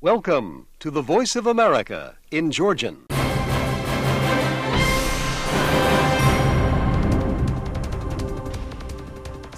Welcome to the Voice of America in Georgian.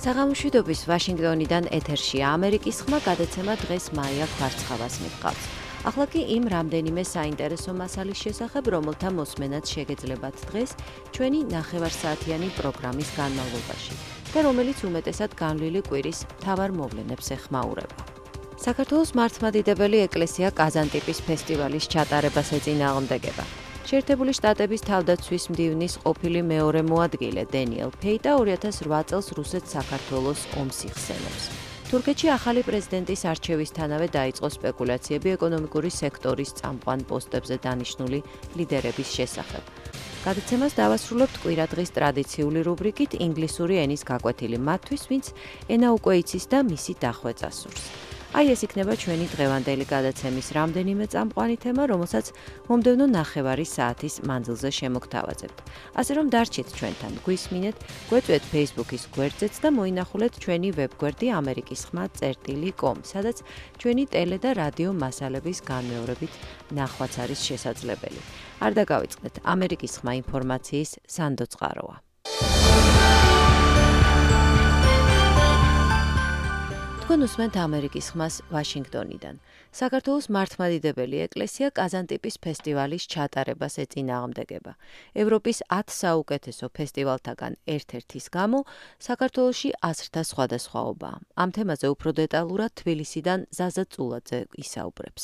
საღამოშვიდობის ვაშინგტონიდან ეთერშია ამერიკის ხმა გადაცემა დღეს მაია ქვარცხავას მიჰყავს. ახლა კი იმ რამდენიმე საინტერესო მასალის შესახებ, რომელთა მოსმენაც შეგეძლებათ დღეს ჩვენი ნახევარსაათიანი პროგრამის განმავლობაში და რომელიც უმეტესად განვლილი კვირის მთავარ მოვლენებს ეხმაურება. საქართველოს მართლმადიდებელი ეკლესია კაზანტიპის ფესტივალის ჩატარებას ეწინააღმდეგება. შეერთებული შტატების თავდაცვის მდივნის ყოფილი მეორე მოადგილე დენიელ ფეიტა 2008 წელს რუსეთს საქართველოს ომს იხსენებს. თურქეთში ახალი პრეზიდენტის არჩევისთანავე დაიწყო სპეკულაციები ეკონომიკური სექტორის წამყვან პოსტებზე დანიშნული ლიდერების შესახებ. გადაცემას დავასრულებთ კვირადღის ტრადიციული რუბრიკით ინგლისური ენის გაკვეთილი მათთვის, ვინც ენა უკვე იცის და მისი დახვეწა სურს. აი ეს იქნება ჩვენი დღევანდელი გადაცემის რამდენიმე წამყვანი თემა, რომელსაც მომდევნო ნახევარი საათის მანძილზე შემოგთავაზებთ. ასე რომ დარჩით ჩვენთან, გვისმინეთ, გვეწვეთ Facebook-ის გვერდზეც და მოინახულეთ ჩვენი ვებგვერდი amerikisxma.com, სადაც ჩვენი ტელე და რადიო მასალების განმეორებით ნახვაც არის შესაძლებელი. არ დაგავიწყდეთ, ამერიკის ხმა ინფორმაციის სანდო წყაროა. თქვენ უსმენთ ამერიკის ხმას ვაშინგტონიდან. საქართველოს მართლმადიდებელი ეკლესია კაზანტიპის ფესტივალის ჩატარებას ეწინააღმდეგება. ევროპის 10 საუკეთესო ფესტივალთაგან ერთ-ერთის გამო საქართველოში აზრთა სხვადასხვაობაა. ამ თემაზე უფრო დეტალურად თბილისიდან ზაზა წულაძე ისაუბრებს.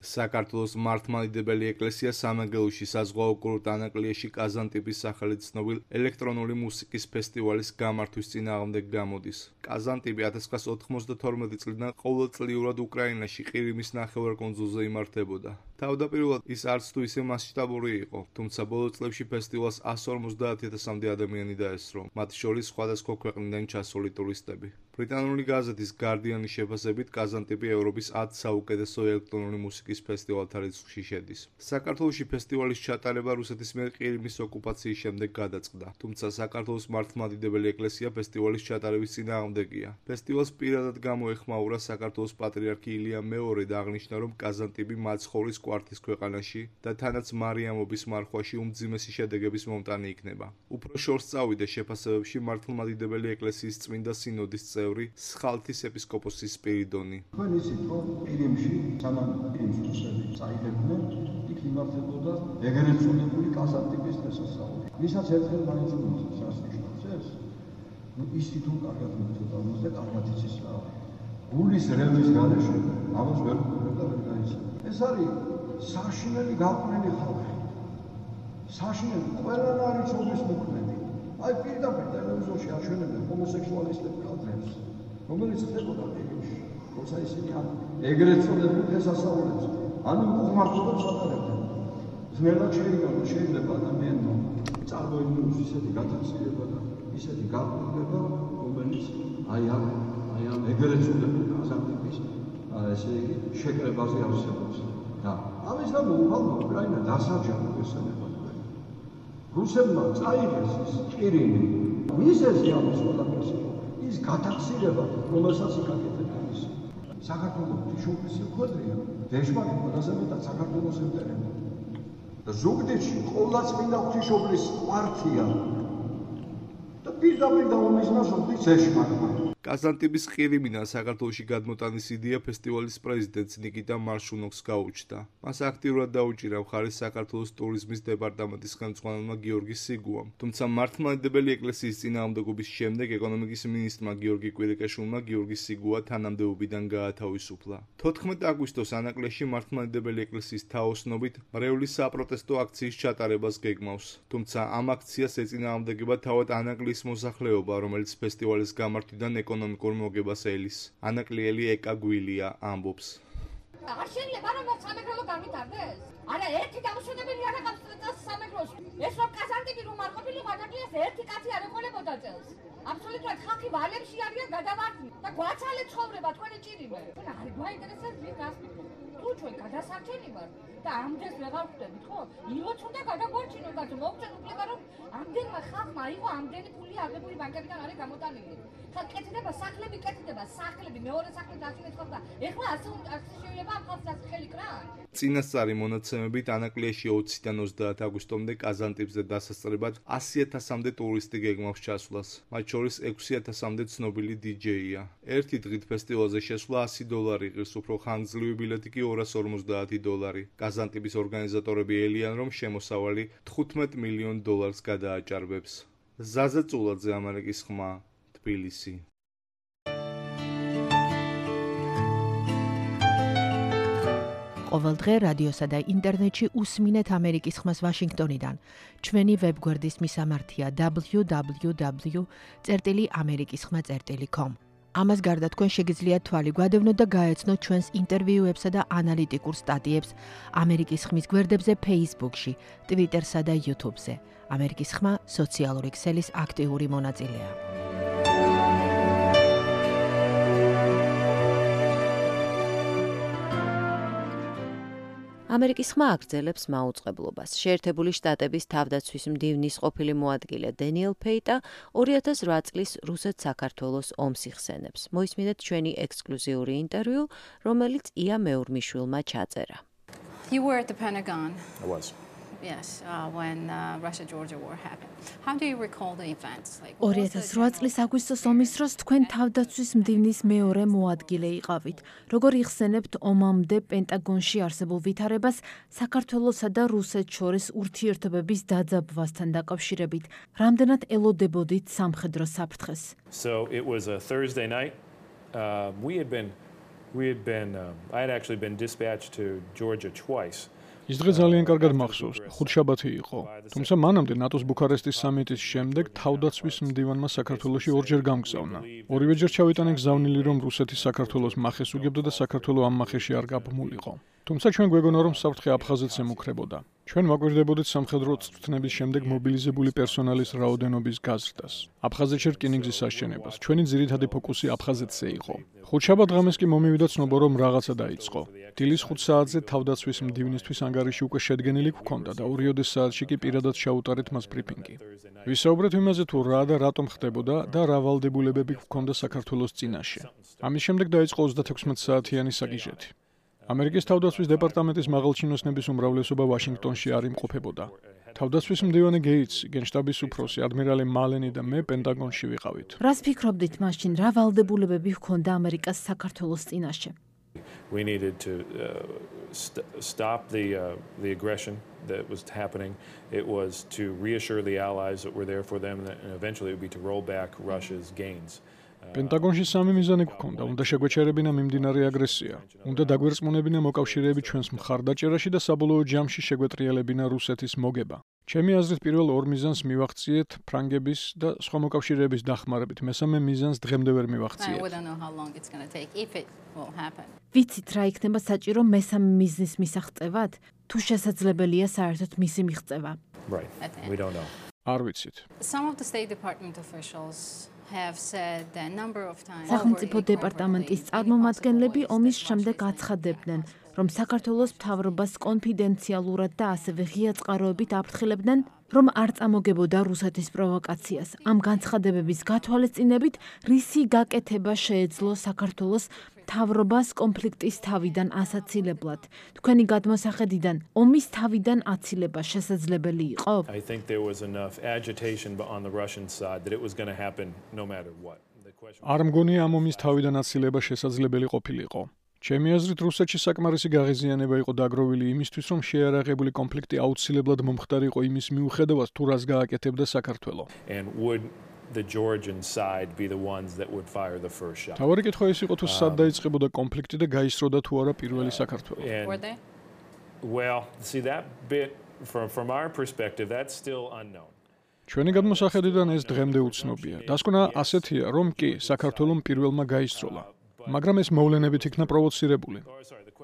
საქართველოს მართლმადიდებელი ეკლესია სამეგრელოში საზღვაო კურორტ ანაკლიაში კაზანტიპის სახელით ცნობილ ელექტრონული მუსიკის ფესტივალის გამართვის წინააღმდეგ გამოდის. კაზანტიპი 1992 წლიდან ყოველწლიურად უკრაინაში ყირიმის ნახევარკუნძულზე იმართებოდა. თავდაპირველად ის არც თუ ისე მასშტაბური იყო, თუმცა ბოლო წლებში ფესტივალს 150,000-მდე ადამიანი დაესწრო, მათ შორის სხვადასხვა ქვეყნიდან ჩასული ტურისტები. ბრიტანული გაზეთის გარდიანის შეფასებით კაზანტიპი ევროპის 10 საუკეთესო ელექტრონული მუსიკის ფესტივალთა რიცხვში შედის. საქართველოში ფესტივალის ჩატარება რუსეთის მიერ ყირიმის ოკუპაციის შემდეგ გადაწყდა, თუმცა საქართველოს მართლმადიდებელი ეკლესია ფესტივალის ჩატარების წინააღმდეგია. ფესტივალს პირადად გამოეხმაურა საქართველოს პატრიარქი ილია მეორე და აღნიშნა, რომ კაზანტიპი მაცხოვრის კვართის ქვეყანაში და თანაც მარიამობის მარხვაში უმძიმესი შედეგების მომტანი იქნება. უფრო შორს წავიდა შეფასებებში მართლმადიდებელი ეკლესიის წმინდა სინოდის წევრი სხალთის ეპისკოპოსი სპირიდონი. თქვენ იცით, რომ ყირიმში სანამ ყირიმს რუსები წაიღებდნენ, იქ იმართებოდა ეგრეთ წოდებული კაზანტიპის დღესასწაული. ვისაც ერთხელ მაინც უმოწევს რას ნიშნავს ეს? ისი თუ კარგად მოწოდავს და კარგად იცის რა. გულის რევის გარეშე ამას ვერ გქონდა და ვერ გაიცნო. ეს არის საშინელი გაყრილი ხალხი. საშინელი ყველან არის ჩობის მოქმედი. აი პირდაპირ ტელევიზორში აჩვენებენ ჰომოსექსუალისტებს კადრებს, რომელიც ხდებოდა ყირიმში, როცა ისინი ეგრეთ წოდებულ დღესასწაულებს, ანუ უღმართობებს ატარებდნენ. ძნელად შეიძლება ადამიანმა წარმოიდგინოს ისეთი გათვალისწინება და ისეთი გაყრილება, რომელიც აი ამ ეგრეთ წოდებულ კაზანტიპის ესე იგი შეკრებაზე არსებობს. და ამის გამო უბრალოდ უკრაინა დასაჯა ესენება. რუსებმა წაიღეს ის ყირიმი. მიზეზი ამის ყველაფერს ის გათახსირება, რომელსაც იკაკედებენ ის. საქართველოს ღვთისმშობლის მკვეთრია, დეშმარი ყველაზე მეტად საქართველოს ემტერება. და ზუგდიდში ყოვლადწმინდა ღვთისმშობლის კვართია. და პირდაპირ დაუმიზნოს ღვთისმშობლის. კაზანტიპის ყირიმიდან საქართველოში გადმოტანის იდეა ფესტივალის პრეზიდენტს ნიკიტა მარშუნოვს გაუჩნდა. მას აქტიურად დაუჭირა მხარი საქართველოს ტურიზმის დეპარტამენტის ხელმძღვანელმა გიორგი სიგუამ. თუმცა მართლმადიდებელი ეკლესიის წინააღმდეგობის შემდეგ ეკონომიკის მინისტრმა გიორგი კვირიკაშვილმა გიორგი სიგუა თანამდებობიდან გაათავისუფლა. 14 აგვისტოს ანაკლიაში მართლმადიდებელი ეკლესიის თაოსნობით მრევლის საპროტესტო აქციის ჩატარებას გეგმავს. თუმცა ამ აქციას ეწინააღმდეგება თავად ანაკლის მოსახლეობა, რომელიც ფესტივალის გამართვიდან ეკონომიკურ მოგებას ელის. ანაკლიელი ეკა გვილია ამბობს. არ შეიძლება რომ სამეგრელო გამიტარდეს? არა, ერთი დამშვენებელი არ აქვს სამეგრელოს. ეს რომ კაზანტიპი რომ არ ყოფილიყო ანაკლიას ერთი კაცი არ ეყოლებოდა წელს. აბსოლუტურად ხალხი ვალებში არიან გადავარდნი და გვაცალეთ ცხოვრება თქვენი ჭირიმე. არ გვაინტერესებს ვინ გასწრებს. თუ ჩვენ გადასარჩენი ვართ და ამდენს ვეღარ ხვდებით, ხო? ილოც უნდა გადაგვარჩინოთ, მაგრამ მოგწენ უფლება რომ ამდენმა ხალხმა აიღო ამდენი ფული აღებული ბანკებიდან არის გამოტანილი. ხა კეთდება სახლები, კეთდება სახლები, მეორე სახლი დაშინეთ ხალხს და ეხლა ასე შეიძლება ამ ხალხს ასე ხელი კრა? წინასწარი მონაცემებით ანაკლიაში 20-დან 30 აგვისტომდე კაზანტიპზე დასასწრებად 100,000-მდე ტურისტი გეგმავს ჩასვლას, მათ შორის 6,000-მდე ცნობილი DJ-ია. ერთი დღით ფესტივალზე შესვლა $100 იღებს, უფრო ხანგრძლივი ბილეთი კი $250. კაზანტიპის ორგანიზატორები ელიან, რომ შემოსავალი $15 მილიონ გადააჭარბებს. ზაზა წულაძე, ამერიკის ხმა, თბილისი. ყოველ დღე რადიოსა და ინტერნეტში უსმინეთ ამერიკის ხმას ვაშინგტონიდან. ჩვენი ვებგვერდის მისამართია www.amerikiskhma.com. ამას გარდა თქვენ შეგიძლიათ თვალი გვადევნოთ და გაეცნოთ ჩვენს ინტერვიუებსა და ანალიტიკურ სტატიებს ამერიკის ხმის გვერდებზე Facebook-ში, Twitter-სა და YouTube-ზე. ამერიკის ხმა სოციალური ქსელის აქტიური მონაწილეა. ამერიკის ხმა აგრძელებს მაუწყებლობას. შეერთებული შტატების თავდაცვის მდივნის ყოფილი მოადგილე დენიელ პეიტა 2008 წლის რუსეთ-საქართველოს ომს იხსენებს. მოისმინეთ ჩვენი ექსკლუზიური ინტერვიუ, რომელიც ია მეურმიშვილმა ჩაწერა. You were at the Pentagon. I was. Yes, when Russia-Georgia war happened. How do you recall the events? 2008 წლის აგვისტოს ომის დროს თქვენ თავდაცვის მდივნის მეორე მოადგილე იყავით. როგორ იხსენებთ ომამდე პენტაგონში არსებულ ვითარებას საქართველოსა და რუსეთს შორის ურთიერთობების დაძაბვასთან დაკავშირებით? რამდენად ელოდებოდით სამხედრო საფრთხეს? So it was a Thursday night. I had actually been dispatched to Georgia twice. ის დღე ძალიან კარგად მახსოვს, ხუთშაბათი იყო. თუმცა მანამდე ნატოს ბუქარესტის სამიტის შემდეგ თავდაცვის მდივანმა საქართველოში ორჯერ გამგზავნა. ორივეჯერ ჩავიტანე გზავნილი, რომ რუსეთი საქართველოს მახეს უგებდა და საქართველო ამ მახეში არ გაბმულიყო. თუმცა ჩვენ გვეგონა, რომ საფრთხე აფხაზეთს ემუქრებოდა. ჩვენ ვაკვირდებოდით სამხედრო წვრთნების შემდეგ მობილიზებული პერსონალის რაოდენობის გაზრდას. აფხაზეთში რკინიგზის საშენებას. ჩვენი ძირითადი ფოკუსი აფხაზეთზე იყო. ხუთშაბათ ღამეს კი მომივიდა ცნობა, რომ რაღაცა დაიწყო. დილის 5 საათზე თავდაცვის მდივნისთვის ანგარიში უკვე შედგენილი გვქონდა და 2 საათში კი პირადად ჩაუტარეთ მას ბრიფინგი. ვისაუბრეთ იმაზე, თუ რა და რატომ ხდებოდა და რა ვალდებულებები გვქონდა საქართველოს წინაშე. ამის შემდეგ დაიწყო 36 საათიანი საგიჟეთი. ამერიკის თავდაცვის დეპარტამენტის მაღალჩინოსნების უმრავლესობა ვაშინგტონში არ იმყოფებოდა. თავდაცვის მდივანი გეიტსი, გენშტაბის უფროსი, ადმირალი მალენი და მე პენტაგონში ვიყავით. რას ფიქრობდით მაშინ, რა ვალდებულებები ჰქონდა ამერიკას საქართველოს წინაშე? We needed to stop the aggression that was happening. It was to reassure the allies that were there for them, and eventually it would be to roll back Russia's gains. პენტაგონში სამი მიზანი გვქონდა. უნდა შეგვეჩერებინა მიმდინარე აგრესია. უნდა დაგვერწმუნებინა მოკავშირეები ჩვენს მხარდაჭერაში და საბოლოო ჯამში შეგვეტრიალებინა რუსეთის მოგება. ჩემი აზრით პირველ ორ მიზანს მივახციეთ ფრანგების და სხვა მოკავშირეების დახმარებით. მესამე მიზანს დღემდე ვერ მივახციეთ. ვიცით რა იქნება საჭირო მესამე მიზნის მისაღწევად? თუ შესაძლებელია საერთოდ მისი მიღწევა? Right. We don't know. არ ვიცით. Some of the State Department officials have said that a number of times. სახელმწიფო დეპარტამენტის წარმომადგენლები ომის შემდეგ აცხადებდნენ, რომ საქართველოს მთავრობას კონფიდენციალურად და ასევე ღია წყაროებით აფრთხილებდნენ, რომ არ წამოგებოდა რუსეთის პროვოკაციას. ამ განცხადებების გათვალისწინებით, რისი გაკეთება შეეძლო საქართველოს მთავრობას კონფლიქტის თავიდან ასაცილებლად. თქვენი გადმოსახედიდან ომის თავიდან აცილება შესაძლებელი იყო? I think there was enough agitation on the Russian side that it was going to happen no matter what. არ მგონია ამ ომის თავიდან აცილება შესაძლებელი ყოფილიყო. ჩემი აზრით რუსეთში საკმარისი გაღიზიანება იყო დაგროვილი იმისთვის, რომ შეიარაღებული კონფლიქტი აუცილებლად მომხდარიყო იმის მიუხედავად, თუ რას გააკეთებდა საქართველო. And would the Georgian side be the ones that would fire the first shot. თავარი კითხვა ის იყო, თუ სად დაიწყებოდა კონფლიქტი და გაისროდა თუ არა პირველი საქართველო. Were they? Well, see that bit from our perspective that's still unknown. ჩვენი გადმოსახედიდან ეს დღემდე უცნობია. დასკვნა ასეთია, რომ კი საქართველომ პირველმა გაისროლა. მაგრამ ეს მოვლენებით იქნა პროვოცირებული.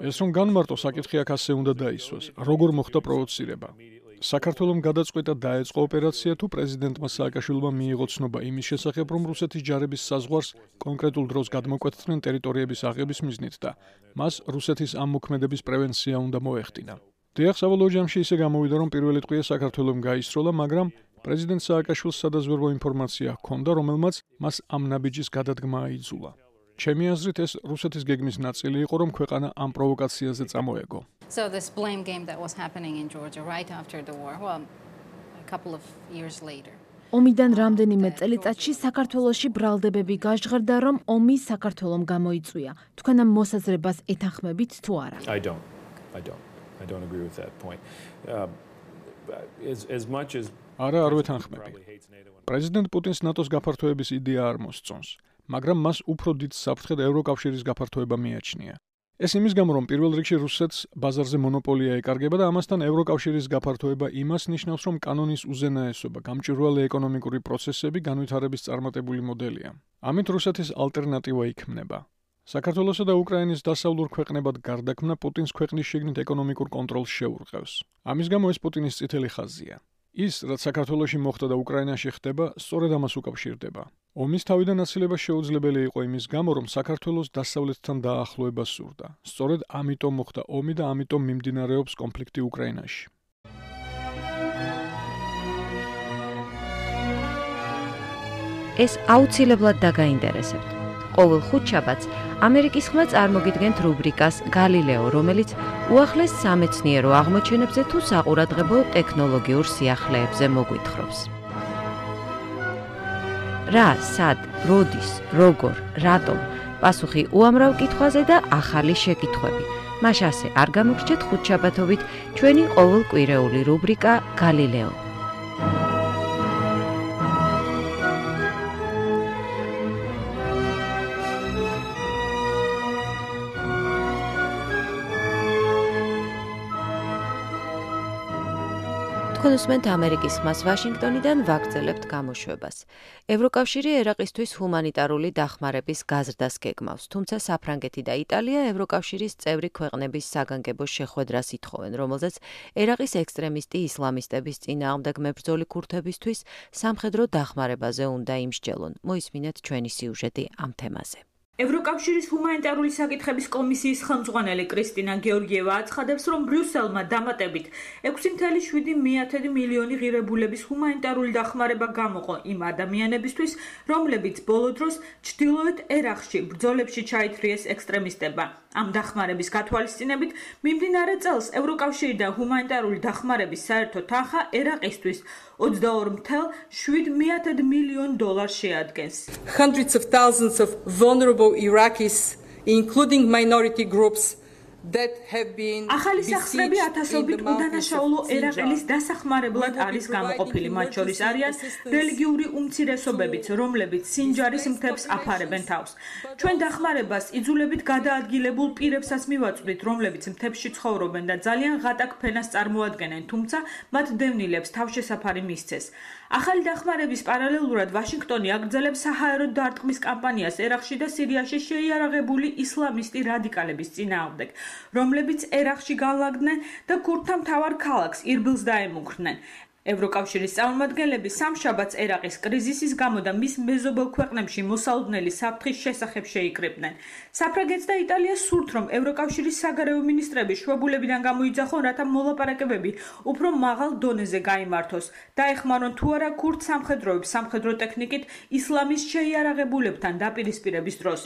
ეს რომ განმარტო საკითხი აქ ასე უნდა დაისვას. როგორ მოხდა პროვოცირება? საქართველომ გადაწყვეტა დაეწყო ოპერაცია თუ პრეზიდენტმა სააკაშვილმა მიიღო ცნობა იმის შესახებ, რომ რუსეთის ჯარების საზღვარს კონკრეტულ დროს გადმოკვეთდნენ ტერიტორიების აღების მიზნით და მას რუსეთის ამ მოქმედების პრევენცია უნდა მოეხდინა. დიახ, საბოლოო ჯამში ისე გამოვიდა, რომ პირველი ტყვია საქართველომ გაისროლა, მაგრამ პრეზიდენტ სააკაშვილს სადაზვერვო ინფორმაცია ჰქონდა, რომელმაც მას ამ ნაბიჯის გადადგმა აიძულა. ჩემი აზრით ეს რუსეთის გეგმის ნაწილი იყო, რომ ქვეყანა ამ პროვოკაციაზე წამოეგო. So this blame game that was happening in Georgia right after the war, well, a couple of years later. ომიდან რამდენიმე წელიწადში საქართველოში ბრალდებები გაჟღერდა, რომ ომი საქართველომ გამოიწვია. თქვენ ამ მოსაზრებას ეთანხმებით თუ არა? I don't agree with that point. As much as არა, არ ვეთანხმები. პრეზიდენტ პუტინს ნატოს გაფართოების იდეა არ მოსწონს, მაგრამ მას უფრო დიდ საფრთხედ ევროკავშირის გაფართოება მიაჩნია. ეს იმის გამო, რომ პირველ რიგში რუსეთს ბაზარზე მონოპოლია ეკარგება და ამასთან ევროკავშირის გაფართოება იმას ნიშნავს, რომ კანონის უზენაესობა, გამჭვირვალე ეკონომიკური პროცესები განვითარების წარმატებული მოდელია. ამით რუსეთის ალტერნატივა იქმნება. საქართველოსა და უკრაინის დასავლურ ქვეყნებად გარდაქმნა პუტინს ქვეყნის შიგნით ეკონომიკურ კონტროლს შეურყევს. ამის გამო ეს პუტინის წითელი ხაზია. ის, რაც საქართველოში მოხდა და უკრაინაში ხდება, სწორედ ამას უკავშირდება. ომის თავიდან აცილება შეუძლებელი იყო იმის გამო, რომ საქართველოს დასავლეთთან დაახლოება სურდა. სწორედ ამიტომ მოხდა ომი და ამიტომ მიმდინარეობს კონფლიქტი უკრაინაში. ეს აუცილებლად დაგაინტერესებთ. ყოველ ხუთშაბათს ამერიკის ხმა წარმოგიდგენთ რუბრიკას გალილეო, რომელიც უახლეს სამეცნიერო აღმოჩენებზე თუ საყურადღებო ტექნოლოგიურ სიახლეებზე მოგვითხრობს. რა, სად, როდის, როგორ, რატომ? პასუხი უამრავ კითხვაზე და ახალი შეკითხვები. მას ასე არ გამოგრჩეთ ხუთშაბათობით ჩვენი ყოველკვირეული რუბრიკა გალილეო. უსმენთ ამერიკის ხმას ვაშინგტონიდან ვაგრძელებთ გამოშვებას. ევროკავშირი ერაყისთვის ჰუმანიტარული დახმარების გაზრდას გეგმავს, თუმცა საფრანგეთი და იტალია ევროკავშირის წევრი ქვეყნების საგანგებო შეხვედრას ითხოვენ, რომელზეც ერაყის ექსტრემისტი ისლამისტების წინააღმდეგ მებრძოლი ქურთებისთვის სამხედრო დახმარებაზე უნდა იმსჯელონ. მოისმინეთ ჩვენი სიუჟეტი ამ თემაზე. ევროკავშირის ჰუმანიტარული საკითხების კომისიის ხელმძღვანელი კრისტინა გეორგიევა აცხადებს, რომ ბრიუსელმა დამატებით 6.7 მილიონი ღირებულების ჰუმანიტარული დახმარება გამოყო იმ ადამიანებისთვის, რომლებიც ბოლო დროს ჩრდილოეთ ერაყში ბრძოლებში ჩაითრიეს ექსტრემისტებმა. ამ დახმარების გათვალისწინებით მიმდინარე წელს ევროკავშირიდან ჰუმანიტარული დახმარების საერთო თანხა ერაყისთვის $22.7 მილიონ შეადგენს. Hundreds of thousands of vulnerable Iraqis, including minority groups, that have been ახალი სახსრები ათასობით უდანაშაულო ერაყელის დასახმარებლად არის გამოყოფილი, მათ შორის არიან რელიგიური უმცირესობებიც, რომლებიც სინჯარის მთებს აფარებენ თავს. ჩვენ დახმარებას იძულებით გადაადგილებულ პირებსაც მივაწვდით, რომლებიც მთებში ცხოვრობენ და ძალიან ღატაკ ფენას წარმოადგენენ, თუმცა მათ დევნილებს თავშესაფარი მისცეს. ახალი დახმარების პარალელურად ვაშინგტონი აგრძელებს საჰაერო დარტყმის კამპანიას ერაყში და სირიაში შეიარაღებული ისლამისტი რადიკალების წინააღმდეგ, რომლებიც ერაყში განლაგდნენ და ქურთთა მთავარ ქალაქს ირბილს დაემუქრნენ. ევროკავშირის წარმომადგენლები სამშაბათს ერაყის კრიზისის გამო და მის მეზობელ ქვეყნებში მოსალოდნელი საფრთხის შესახებ შეიკრიბნენ. საფრანგეთს და იტალიას სურთ, რომ ევროკავშირის საგარეო მინისტრები შვებულებიდან გამოიძახონ, რათა მოლაპარაკებები უფრო მაღალ დონეზე გაიმართოს. დაეხმარონ თუ არა ქურთ სამხედროებს სამხედრო ტექნიკით ისლამის შეიარაღებულებთან დაპირისპირების დროს.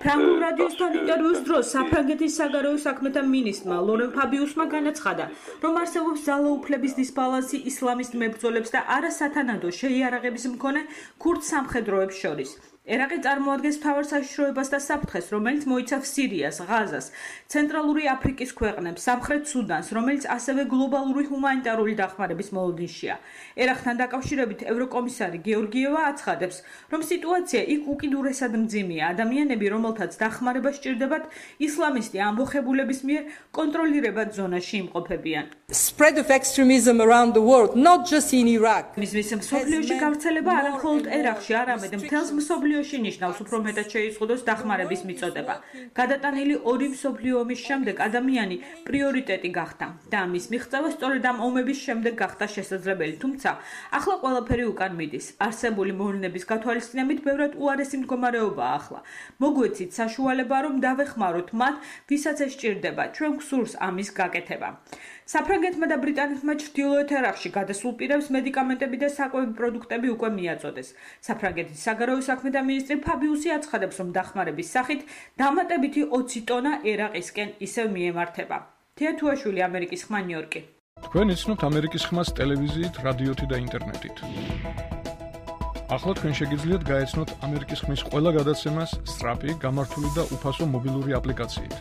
ფრანგულ რადიოსთან ინტერვიუს დროს საფრანგეთის საგარეო საქმეთა მინისტრმა ლორენ ფაბიუსმა განაცხადა, რომ არსებობს ძალაუფლების დისბალანსი ისლამისტ მებრძოლებს და არასათანადო შეიარაღების მქონე ქურთ სამხედროებს შორის. ერაყი წარმოადგენს მთავარ საშიშროებას და საფრთხეს, რომელიც მოიცავს სირიას, ღაზას, ცენტრალური აფრიკის ქვეყნებს, სამხრეთ სუდანს, რომელიც ასევე გლობალური ჰუმანიტარული დახმარების მოლოდინშია. ერაყთან დაკავშირებით ევროკომისარი გეორგიევა აცხადებს, რომ სიტუაცია იქ უკიდურესად მძიმეა. ადამიანები, რომელთაც დახმარება სჭირდებათ, ისლამისტი ამბოხებულების მიერ კონტროლირებად ზონაში იმყოფებიან. Spread of extremism around the world, not just in Iraq. მის მსოფლიოში გავრცელება არა მხოლოდ ერაყში, არამედ მთელს მსოფლიოში ნიშნავს უფრო მეტად შეიზღუდოს დახმარების მიწოდება. გადატანილი ორი მსოფლიო ომის შემდეგ ადამიანი პრიორიტეტი გახდა და ამის მიღწევა სწორედ ამ ომების შემდეგ გახდა შესაძლებელი. თუმცა ახლა ყველაფერი უკან მიდის. არსებული მოვლენების გათვალისწინებით ბევრად უარესი მდგომარეობაა ახლა. მოგვეცით საშუალება, რომ დავეხმაროთ მათ, ვისაც ეს სჭირდება. ჩვენ გვსურს ამის გაკეთება. საფრანგეთმა და ბრიტანეთმა ჩრდილოეთ ერაყში გადასულ პირებს მედიკამენტები და საკვები პროდუქტები უკვე მიაწოდეს. საფრანგეთის საგარეო საქმეთა სამინისტრო ფაბიუსი აცხადებს, რომ დახმარების სახით დამატებითი 20 ტონა ერაყისკენ ისევ მიემართება. თეა თუაშვილი, ამერიკის ხმა, ნიუ-იორკი. თქვენ იცნობთ ამერიკის ხმას ტელევიზიით, რადიოთი და ინტერნეტით. ახლა თქვენ შეგიძლიათ გაეცნოთ ამერიკის ხმის ყველა გადაცემას სწრაფი, გამართული და უფასო მობილური აპლიკაციით.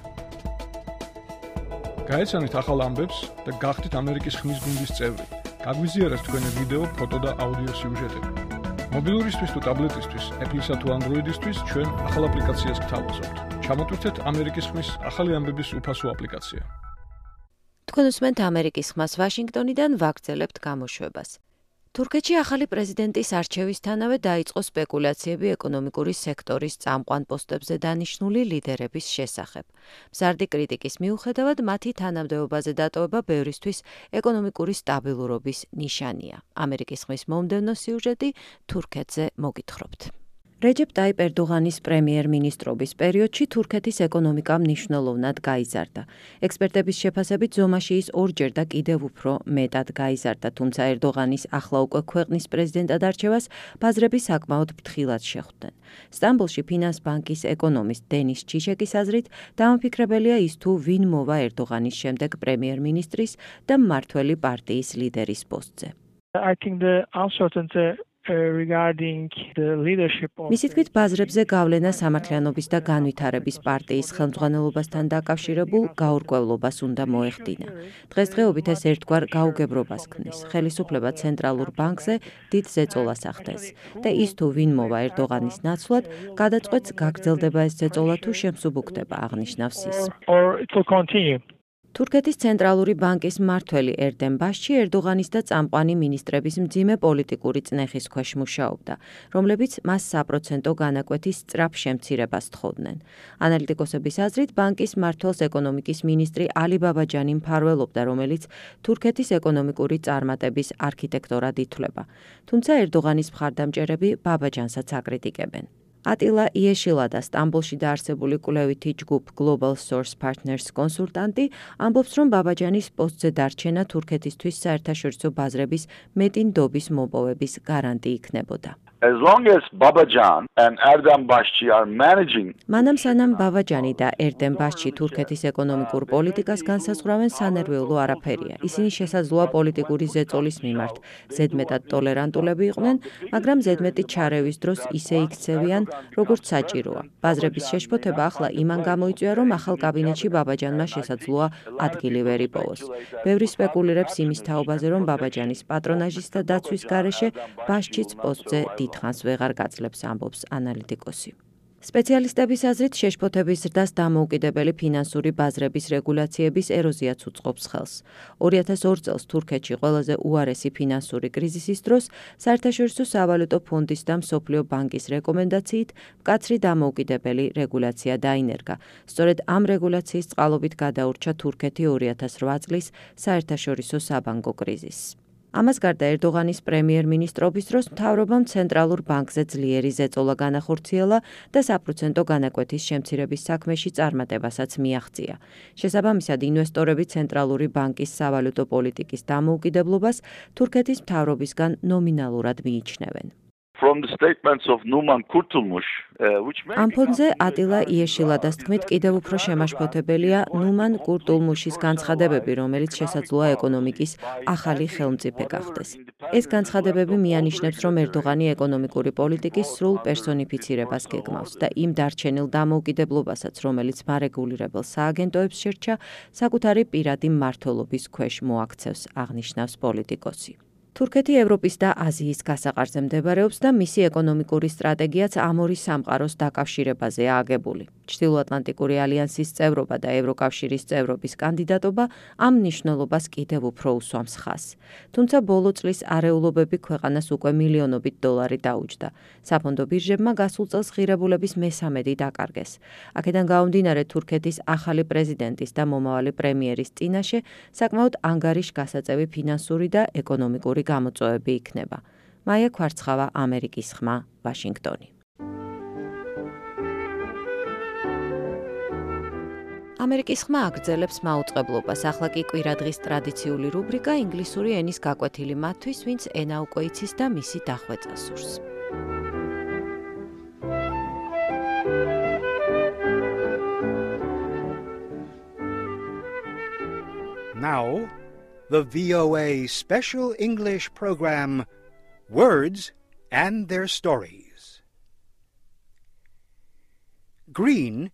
გაეცანით ახალ ამბებს და გახდით ამერიკის ხმის გუნდის წევრი. გაგვიზიარეთ თქვენი ვიდეო, ფოტო და აუდიო სიუჟეტები. მობილურისთვის თუ ტაბლეტისთვის, Apple-ისა თუ Android-ისთვის ჩვენ ახალ აპლიკაციას გთავაზობთ. ჩამოტვირთეთ ამერიკის ხმის ახალი ამბების უფასო აპლიკაცია. თქვენ უსმენთ ამერიკის ხმას ვაშინგტონიდან, ვაგრძელებთ გამოშვებას. თურქეთში ახალი პრეზიდენტის არჩევისთანავე დაიწყო სპეკულაციები ეკონომიკური სექტორის წამყვან პოსტებზე დანიშნული ლიდერების შესახებ. მზარდი კრიტიკის მიუხედავად, მათი თანამდებობაზე დატოვება ბევრისთვის ეკონომიკური სტაბილურობის ნიშანია. ამერიკის ხმის მომდევნო სიუჟეტი თურქეთზე მოგითხრობთ. რეჯეპ ტაიპ ერდოღანის პრემიერ-მინისტრობის პერიოდში თურქეთის ეკონომიკა მნიშვნელოვნად გაიზარდა. ექსპერტების შეფასებით ზომაში ის ორჯერ და კიდევ უფრო მეტად გაიზარდა, თუმცა ერდოღანის ახლა უკვე ქვეყნის პრეზიდენტად არჩევას ბაზრები საკმაოდ ფრთხილად შეხვდნენ. სტამბოლში ფინანს ბანკის ეკონომისტ დენის ჩიშეკის აზრით, დამაფიქრებელია ის თუ ვინ მოვა ერდოღანის შემდეგ პრემიერ-მინისტრის და მმართველი პარტიის ლიდერის პოსტზე. მისი თქმით, ბაზრებზე გავლენა სამართლიანობის და განვითარების პარტიის ხელმძღვანელობასთან დაკავშირებულ გაურკვევლობას უნდა მოეხდინა. დღესდღეობით ეს ერთგვარ გაუგებრობას ქმნის. ხელისუფლება ცენტრალურ ბანკზე დიდ ზეწოლას ახდენს და ის თუ ვინ მოვა ერდოღანის ნაცვლად, გადაწყვეტს გაგრძელდება ეს ზეწოლა თუ შემსუბუქდება, აღნიშნავს ის. თურქეთის ცენტრალური ბანკის მმართველი ერდემ ბაშჩი ერდოღანის და წამყვანი მინისტრების მძიმე პოლიტიკური წნეხის ქვეშ მუშაობდა, რომლებიც მას საპროცენტო განაკვეთის სწრაფ შემცირებას თხოვდნენ. ანალიტიკოსების აზრით, ბანკის მმართველს ეკონომიკის მინისტრი ალი ბაბაჯანი მფარველობდა, რომელიც თურქეთის ეკონომიკური წარმატების არქიტექტორად ითვლება. თუმცა ერდოღანის მხარდამჭერები ბაბაჯანსაც აკრიტიკებენ. ატილა იეშილა და სტამბოლში დაარსებული კვლევითი ჯგუფ Global Source Partners კონსულტანტი ამბობს, რომ ბაბაჯანის პოსტზე დარჩენა თურქეთისთვის საერთაშორისო ბაზრების მეტი ნდობის მოპოვების გარანტი იქნებოდა. As long as Babajan and Erdem Başçı are managing მანამ სანამ ბაბაჯანი და ერდემ ბაშჩი თურქეთის ეკონომიკურ პოლიტიკას განსაზღვრავენ, სანერვეულო არაფერია. ისინი შესაძლოა პოლიტიკური ზეწოლის მიმართ ზედმეტად ტოლერანტულები იყვნენ, მაგრამ ზედმეტი ჩარევის დროს ისე იქცევიან, როგორც საჭიროა. ბაზრების შეშფოთება ახლა იმან გამოიწვია, რომ ახალ კაბინეტში ბაბაჯანმა შესაძლოა ადგილი ვერ იპოვოს. ბევრი სპეკულირებს იმის თაობაზე, რომ ბაბაჯანის პატრონაჟის და დაცვის გარეშე ბაშჩიც პოსტზე დიდხანს ვეღარ გაძლებს, ამბობს ანალიტიკოსი. სპეციალისტების აზრით, შეშფოთების ზრდას დამოუკიდებელი ფინანსური ბაზრების რეგულაციების ეროზიაც უწყობს ხელს. 2002 წელს თურქეთში ყველაზე უარესი ფინანსური კრიზისის დროს საერთაშორისო სავალუტო ფონდის და მსოფლიო ბანკის რეკომენდაციით მკაცრი დამოუკიდებელი რეგულაცია დაინერგა. სწორედ ამ რეგულაციის წყალობით გადაურჩა თურქეთი 2008 წლის საერთაშორისო საბანკო კრიზისს. ამას გარდა ერდოღანის პრემიერ-მინისტრობის დროს მთავრობამ ცენტრალურ ბანკზე ძლიერი ზეწოლა განახორციელა და საპროცენტო განაკვეთის შემცირების საქმეში წარმატებასაც მიაღწია. შესაბამისად, ინვესტორები ცენტრალური ბანკის სავალუტო პოლიტიკის დამოუკიდებლობას თურქეთის მთავრობისგან ნომინალურად მიიჩნევენ. From the statements of Numan Kurtulmuş, ამ ფონზე ატილა იეშილადას თქმით, კიდევ უფრო შემაშფოთებელია ნუმან კურტულმუშის განცხადებები, რომელიც შესაძლოა ეკონომიკის ახალი ხელმწიფე გახდეს. ეს განცხადებები მიანიშნებს, რომ ერდოღანი ეკონომიკური პოლიტიკის სრულ პერსონიფიცირებას გეგმავს და იმ დარჩენილ დამოუკიდებლობასაც, რომელიც მარეგულირებელ სააგენტოებს შერჩა, საკუთარი პირადი მმართველობის ქვეშ მოაქცევს, აღნიშნავს პოლიტიკოსი. თურქეთი ევროპის და აზიის გასაყარზე მდებარეობს და მისი ეკონომიკური სტრატეგიაც ამ ორი სამყაროს დაკავშირებაზეა აგებული. ჩრდილოატლანტიკური ალიანსის წევრობა და ევროკავშირის წევრობის კანდიდატობა ამ მნიშვნელობას კიდევ უფრო უსვამს ხაზს. თუმცა ბოლო წლის არეულობები ქვეყანას უკვე მილიონობით დოლარი დაუჯდა. საფონდო ბირჟებმა გასულ წელს ღირებულების მესამედი დაკარგეს. აქედან გამომდინარე, თურქეთის ახალი პრეზიდენტის და მომავალი პრემიერის წინაშე საკმაოდ ანგარიშგასაწევი ფინანსური და ეკონომიკური გამოწვევები იქნება. მაია ქვარცხავა, ამერიკის ხმა, ვაშინგტონი. ამერიკის ხმა აგრძელებს მაუწყებლობას. ახლა კი კვირადღის ტრადიციული რუბრიკა ინგლისური ენის გაკვეთილი მათთვის, ვინც ენა უკვე იცის და მისი დახვეწა სურს. Now, the VOA special English program, Words and Their Stories. Green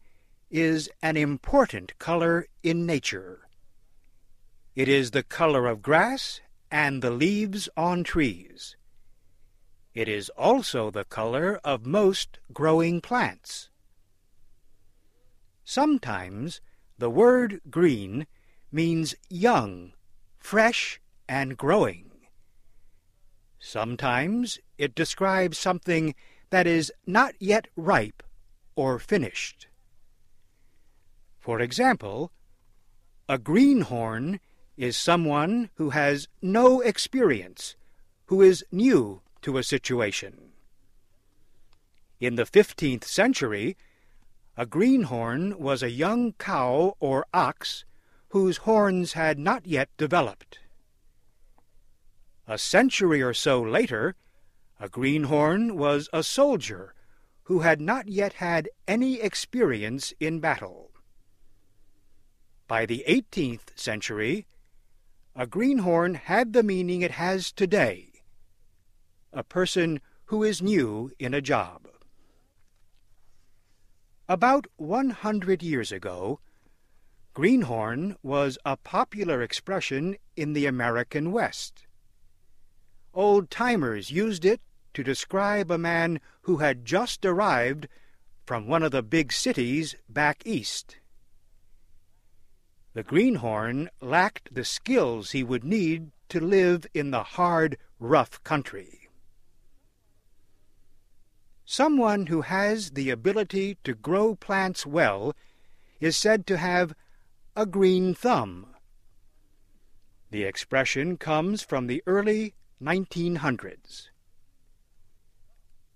is an important color in nature. It is the color of grass and the leaves on trees. It is also the color of most growing plants. Sometimes the word green means young, fresh, and growing. Sometimes it describes something that is not yet ripe or finished. For example, a greenhorn is someone who has no experience, who is new to a situation. In the 15th century, a greenhorn was a young cow or ox whose horns had not yet developed. A century or so later, a greenhorn was a soldier who had not yet had any experience in battle. By the 18th century, a greenhorn had the meaning it has today, a person who is new in a job. About 100 years ago, greenhorn was a popular expression in the American West. Old-timers used it to describe a man who had just arrived from one of the big cities back east. The greenhorn lacked the skills he would need to live in the hard, rough country. Someone who has the ability to grow plants well is said to have a green thumb. The expression comes from the early 1900s.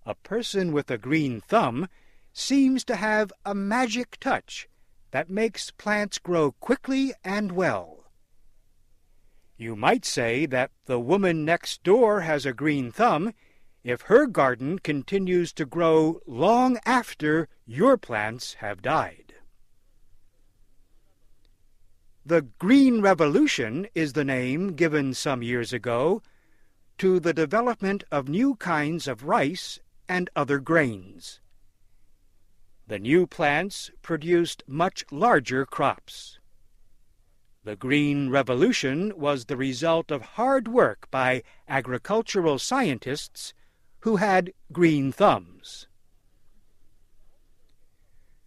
A person with a green thumb seems to have a magic touch that makes plants grow quickly and well. You might say that the woman next door has a green thumb if her garden continues to grow long after your plants have died. The Green Revolution is the name given some years ago to the development of new kinds of rice and other grains. The new plants produced much larger crops. The Green Revolution was the result of hard work by agricultural scientists who had green thumbs.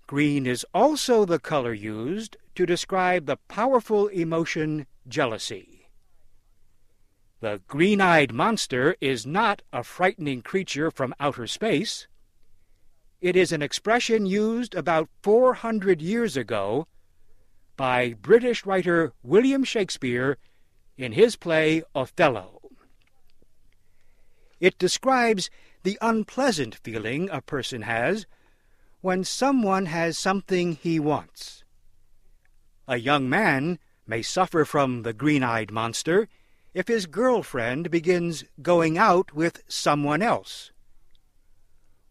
Green is also the color used to describe the powerful emotion jealousy. The green-eyed monster is not a frightening creature from outer space. It is an expression used about 400 years ago by British writer William Shakespeare in his play Othello. It describes the unpleasant feeling a person has when someone has something he wants. A young man may suffer from the green-eyed monster if his girlfriend begins going out with someone else.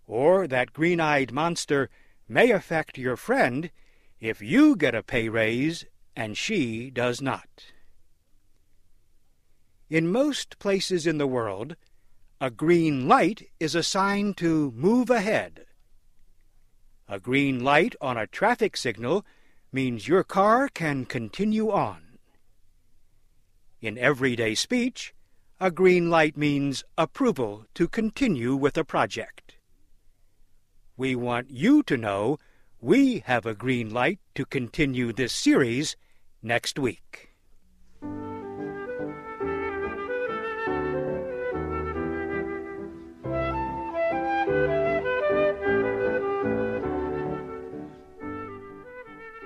Or that green-eyed monster may affect your friend if you get a pay raise and she does not. In most places in the world, a green light is a sign to move ahead. A green light on a traffic signal means your car can continue on. In everyday speech, a green light means approval to continue with a project. We want you to know we have a green light to continue this series next week.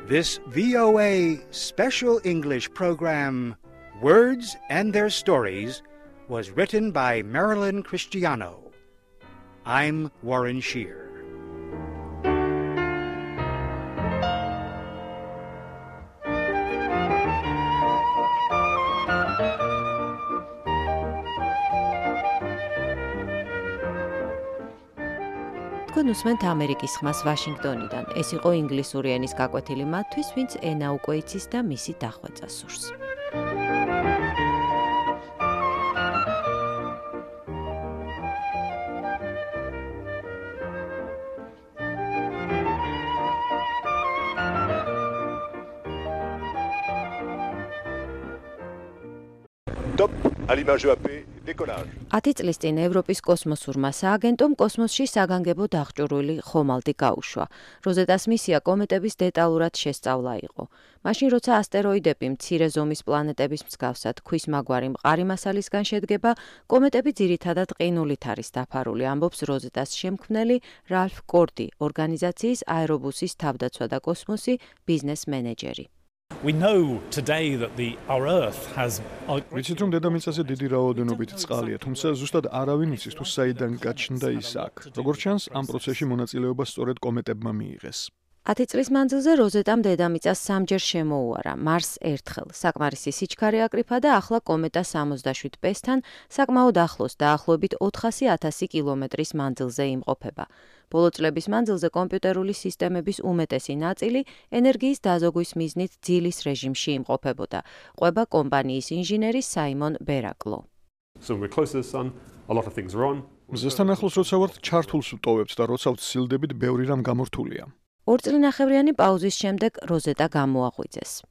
This VOA special English program, Words and Their Stories, was written by Marilyn Cristiano. I'm Warren Shear. თქვენ უსმენთ ამერიკის ხმას ვაშინგტონიდან. ეს იყო ინგლისური ენის გაკვეთილი მათთვის, ვინც ენა უკვე იცის და მისი დახვეწა სურს. Top à l'image EAP, décollage. 10 წლის წინ ევროპის კოსმოსურმა სააგენტომ კოსმოსში საგანგებო დახჭურვილი ხომალდი გაუშვა. როზეტას მისია კომეტების დეტალურად შესწავლა იყო. მაშინ როცა ასტეროიდები მცირე ზომის პლანეტების მსგავსად ქვის მაგვარი მყარი მასალისგან შედგება, კომეტები ძირითადად ყინულით არის დაფარული, ამბობს როზეტას შემქმნელი რალფ კორდი, ორგანიზაციის აერობუსის თავდაცვა და კოსმოსი ბიზნეს მენეჯერი. We know today that our Earth has ვიცით რომ დედამიწაზე დიდი რაოდენობით წყალია, თუმცა ზუსტად არავინ იცის თუ საიდან გაჩნდა ის აქ. როგორც ჩანს, ამ პროცესში მონაწილეობა სწორედ კომეტებმა მიიღეს. 10 წლის მანძილზე როზეტამ დედამიწას სამჯერ შემოუარა, მარსს ერთხელ. საკმარისი სიჩქარე აკრიფა და ახლა კომეტა 67P-თან საკმაოდ ახლოს, დაახლოებით 400,000 კილომეტრის მანძილზე იმყოფება. ბოლო წლების მანძილზე კომპიუტერული სისტემების უმეტესი ნაწილი ენერგიის დაზოგვის მიზნით ძილის რეჟიმში იმყოფებოდა. ყვება კომპანიის ინჟინერი საიმონ ბერაკლო. მზესთან ახლოს როცა ვართ, ჩართულს ვტოვებთ და როცა ვცილდებით, ბევრი რამ გამორთულია. 2 წლინახევრიანი პაუზის შემდეგ როზეტა გამოაღვიძეს.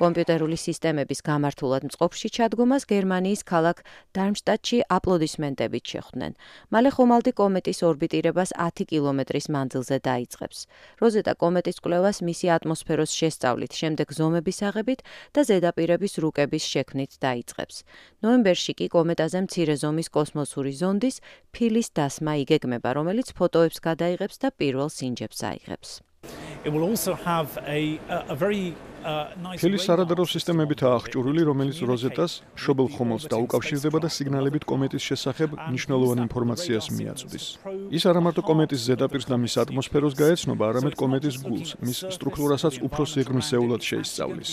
კომპიუტერული სისტემების გამართულად მწყობში ჩადგომას გერმანიის ქალაქ დარმშტადტში აპლოდისმენტებით შეხვდნენ. მალე ხომალდი კომეტის ორბიტირებას 10 კილომეტრის მანძილზე დაიწყებს. როზეტა კომეტის კვლევას მისი ატმოსფეროს შესწავლით, შემდეგ ზომების აღებით და ზედაპირების რუკების შექმნით დაიწყებს. ნოემბერში კი კომეტაზე მცირე ზომის კოსმოსური ზონდის ფილის დასმა იგეგმება, რომელიც ფოტოებს გადაიღებს და პირველ სინჯებს აიღებს. It will also have a very ფილის არადარო სისტემებითაა აღჭურვილი, რომელიც როზეტას მშობელ ხომალდს დაუკავშირდება და სიგნალებით კომეტის შესახებ მნიშვნელოვან ინფორმაციას მიაწვდის. ის არა მარტო კომეტის ზედაპირს და მის ატმოსფეროს გაეცნობა, არამედ კომეტის გულს, მის სტრუქტურასაც უფრო სიღრმისეულად შეისწავლის.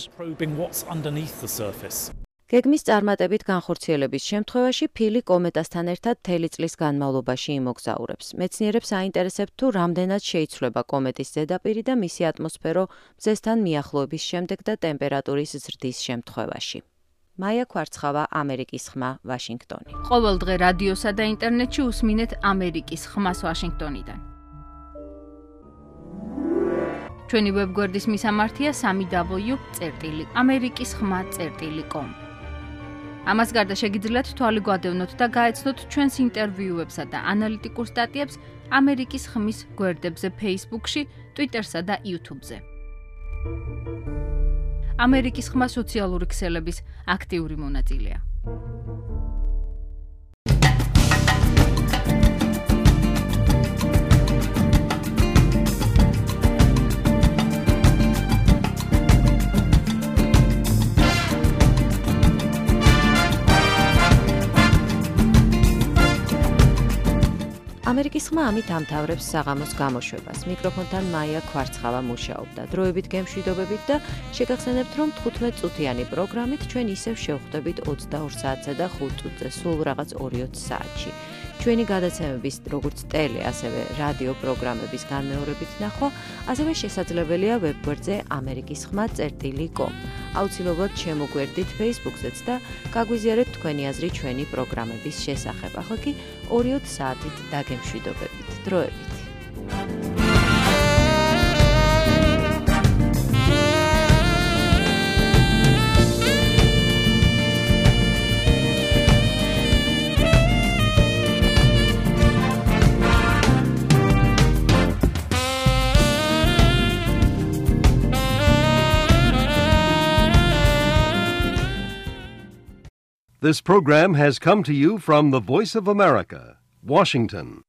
გეგმის წარმატებით განხორციელების შემთხვევაში ფილი კომეტასთან ერთად მთელი წლის განმავლობაში იმოგზაურებს. მეცნიერებს აინტერესებთ თუ რამდენად შეიცვლება კომეტის ზედაპირი და მისი ატმოსფერო მზესთან მიახლოების შემდეგ და ტემპერატურის ზრდის შემთხვევაში. მაია კვარცხავა, ამერიკის ხმა, ვაშინგტონი. ყოველ დღე რადიოსა და ინტერნეტში უსმინეთ ამერიკის ხმას ვაშინგტონიდან. ჩვენი ვებგვერდის მისამართია www.amerikiskhma.com. ამას გარდა შეგიძლიათ თვალი გვადევნოთ და გაეცნოთ ჩვენს ინტერვიუებსა და ანალიტიკურ სტატიებს ამერიკის ხმის გვერდებზე Facebook-ში, Twitter-სა და YouTube-ზე. ამერიკის ხმა სოციალური ქსელების აქტიური მონაწილეა. ამერიკის ხმა ამით ამთავრებს საღამოს გამოშვებას. მიკროფონთან მაია კვარცხავა მუშაობდა. დროებით გემშვიდობებით და შეგახსენებთ, რომ 15 წუთიანი პროგრამით ჩვენ ისევ შევხვდებით 22 საათსა და 5 წუთზე, სულ რაღაც 2-20 საათში. ჩვენი გადაცემების როგორც ტელე, ასევე რადიო პროგრამების განმეორებით ნახვა, ასევე შესაძლებელია ვებგვერდზე amerikiskhma.com. აუცილებლად შემოგვერდით Facebook-ზეც და გაგვიზიარეთ თქვენი აზრი ჩვენი პროგრამების შესახებ. ახლა კი 2-20 საათით დაგემშვიდობებით. დროებით. This program has come to you from the Voice of America, Washington.